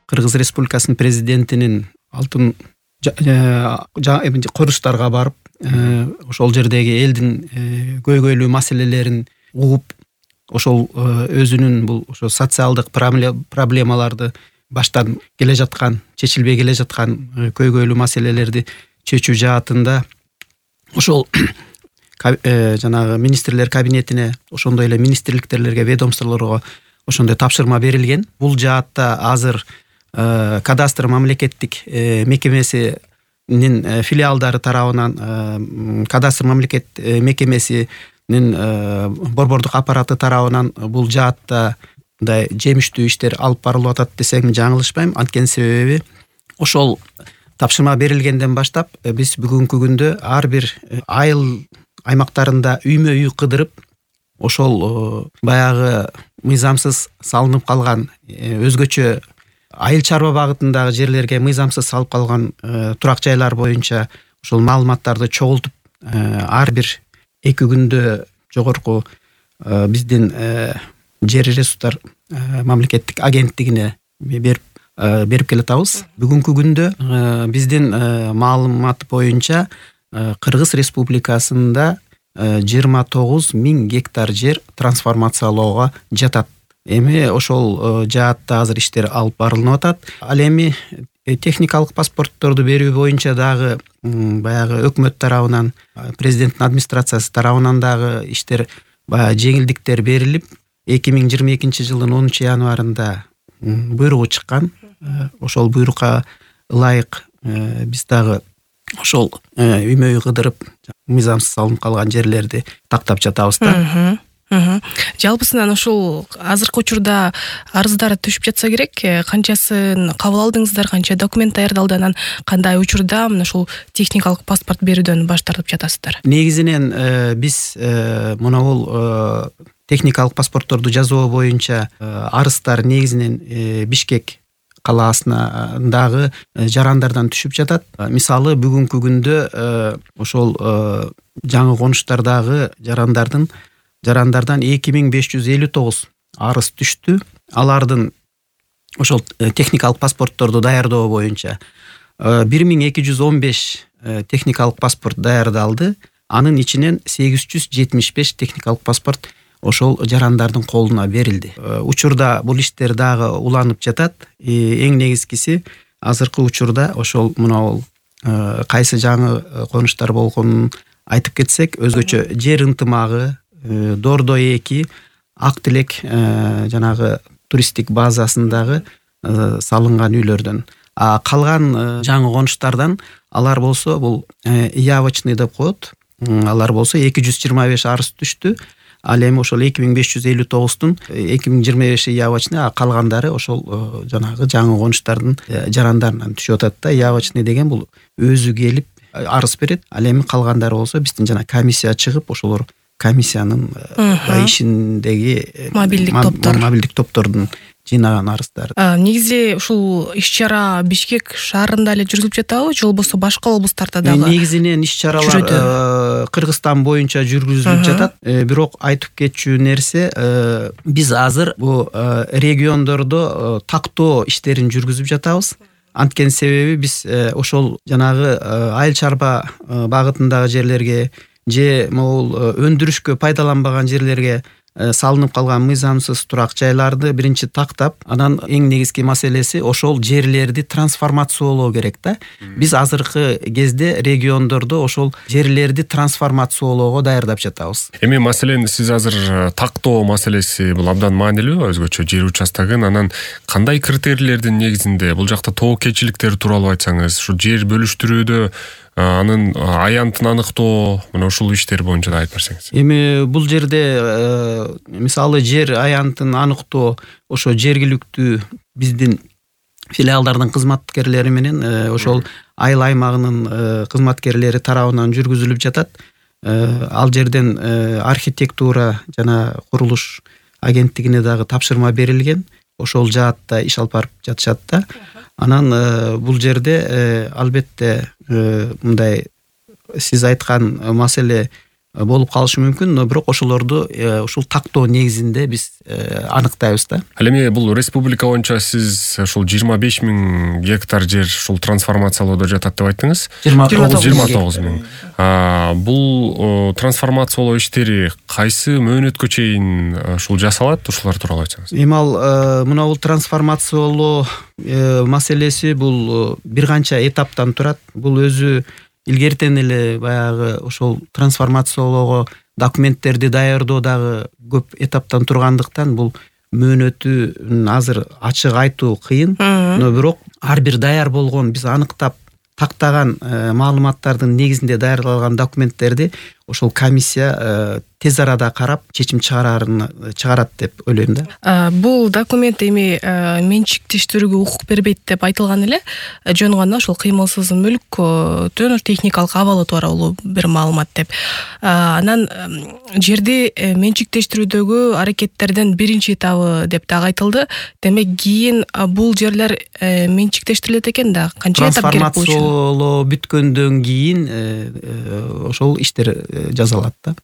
Кыргыз Республикасынын президентинин алтын курулуштарга барып, ошол жердеги элдин көйгөйлүү маселелерин угуп, ошол өзүнүн бул ошо социалдык проблемаларды баштан келе жаткан, чечилбей келе жаткан көйгөйлүү маселелерди чечүү жаатында ошол жанагы министрлер кабинетине, ошондой эле министрликтерге, ведомстволорго ошондой тапшырма берилген. Бул жаатта азыр кадастр мамлекеттик мекемесинин филиалдары тарабынан, кадастр мамлекет мекемесинин борбордук аппараты тарабынан бул жаатта мындай жемиштүү иштер алып барылып атат десем жаңылышпайм. Анткени себеби ошол тапшырма берилгенден баштап биз бүгүнкү күндө ар бир айыл аймактарында үймө-үй кыдырып, ошол баягы мыйзамсыз салынып калган, өзгөчө айыл чарба багытындагы жерлерге мыйзамсыз салып калган турак жайлар боюнча ошол маалыматтарды чогултуп, ар бир 2 күндө жогорку биздин жер ресурстар мамлекеттик агенттигине берип келатабыз. Бүгүнкү күндө биздин маалымат боюнча Кыргыз Республикасында 29 000 гектар жер трансформациялоого жатат. Эми ошол жаатта азыр иштер алып барылып атат. Ал эми техникалык паспортторду берүү боюнча дагы баягы өкмөт тарабынан, президенттин администрациясы тарабынан дагы иштер жеңилдиктер берилип, 2022 жылдын 10 январында буйругу чыккан. Ошол буйрукка ылайык биз дагы ошол үймө-үй кыдырып, мыйзамсыз салынып калган жерлерди тактап жатабыз да. Жалпысынан ушул азыркы учурда арыздар түшүп жатса керек, канчасын кабыл алдыңыздар, канча документ даярдалды, анан кандай учурда мына ушул техникалык паспорт берүүдөн баш тартып жатасыздар? Негизинен биз мына бул техникалык паспортторду жасоо боюнча арыздар негизинен Бишкек калаасындагы жарандардан түшүп жатат. Мисалы, бүгүнкү күндө ошол жаңы конуштардагы жарандардан 2559 арыз түштү. Алардын ошол техникалык паспортторду даярдоо боюнча 1215 техникалык паспорт даярдалды. Анын ичинен 875 техникалык паспорт ошол жарандардын колуна берилди. Учурда бул иштер дагы уланып жатат. Эң негизгиси азыркы учурда ошол мына бул кайсы жаңы конуштар болгонун айтып кетсек, өзгөчө жер ынтымагы, Дордо 2, Ак Тилек жанагы туристтик базасындагы салынган үйлөрдөн. Калган жаңы конуштардан алар болсо бул явочный деп коет. Алар болсо 225 арыз түштү. Ал эми ошол 2559-тун 2025 явочный, калгандары ошол жанагы жаңы конуштардын жарандарынан түшүп атат да. Явочный деген бул өзү келип арыз берет. Ал эми калгандары болсо биздин жана комиссия чыгып, ошолор комиссиянын ишиндеги мобилдик топтордун жыйнаган арыздары. Негизи ушул иш-чара Бишкек шаарында эле жүргүзүлүп жатабы, же болбосо башка облустарда дагы? Негизинен иш-чаралар Кыргызстан боюнча жүргүзүлүп жатат. Бирок айтып кетчү нерсе, биз азыр бу региондордо тактоо иштерин жүргүзүп жатабыз. Анткени себеби биз ошол жанагы айыл чарба багытындагы жерлерге же могул өндүрүшкө пайдаланбаган жерлерге салынып калган мыйзамсыз турак жайларды биринчи тактап, анан эң негизги маселеси ошол жерлерди трансформациялоо керек да. Биз азыркы кезде региондордо ошол жерлерди трансформациялоого даярдап жатабыз. Эми маселен сиз азыр тактоо маселеси бул абдан маанилүү, өзгөчө жер участогун, анан кандай критерийлердин негизинде бул жакта тобокелчиликтер тууралуу айтсаңыз, ушу жер бөлүштүрүүдө анын аянтын аныктоо, мына ушул иштер боюнча да айтып берсеңиз. Эми бул жерде мисалы жер аянтын аныктоо ошо жергиликтүү биздин филиалдардын кызматкерлери менен ошол айыл аймагынын кызматкерлери тарабынан жүргүзүлүп жатат. Ал жерден архитектура жана курулуш агенттигине дагы тапшырма берилген. Ошол жаатта иш алып барып жатышат да. Анан бул жерде албетте мындай сиз айткан маселе болуп калышы мүмкүн, но бирок ошолорду ушул тактоо негизинде биз аныктайбыз да. Ал эми бул республика боюнча сиз ушул 25 000 гектар жер ушул трансформациялоодо жатат деп айттыңыз. 29 000. Бул трансформациялоо иштери кайсы мөөнөткө чейин ушул жасалат? Ушулар тууралуу айтсаңыз. Эми ал мына бул трансформациялоо маселеси бул бир канча этаптан турат. Бул өзү илгертен эле баягы ошол трансформациялоого документтерди даярдоо дагы көп этаптан тургандыктан бул мөөнөтүн азыр ачык айтуу кыйын, но бирок ар бир даяр болгон биз аныктап тактаган маалыматтардын негизинде даярдалган документтерди ошол комиссия тез арада карап чечим чыгарат деп ойлойм да. Бул документ эми менчиктештирүүгө укук бербейт деп айтылган эле, жөн гана ошол кыймылсыз мүлктүн техникалык абалы тууралуу бир маалымат деп. Анан жерди менчиктештирүүдөгү аракеттердин биринчи этабы деп дагы айтылды. Демек кийин бул жерлер менчиктештирилет экен да, канча этап керек болчу? Трансформациялоо бүткөндөн кийин ошол иштер жазалат да.